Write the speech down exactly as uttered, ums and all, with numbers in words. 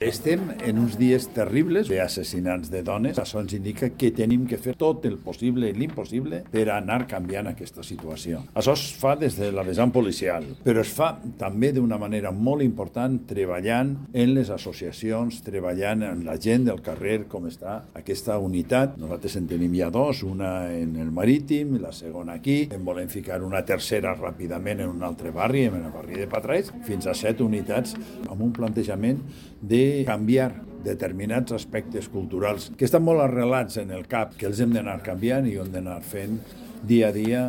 Estem en uns dies terribles d'assassinats de dones. Això ens indica que tenim que fer tot el possible i l'impossible per anar canviant aquesta situació. Això es fa des de la vessant policial, però es fa també d'una manera molt important treballant en les associacions, treballant en la gent del carrer, com està aquesta unitat. Nosaltres en tenim ja dos, una en el Marítim, la segona aquí. En volem ficar una tercera ràpidament en un altre barri, en el barri de Patraix, fins a set unitats amb un plantejament de canviar determinats aspectes culturals que estan molt arrelats en el cap, que els hem d'anar canviant i ho hem d'anar fent dia a dia.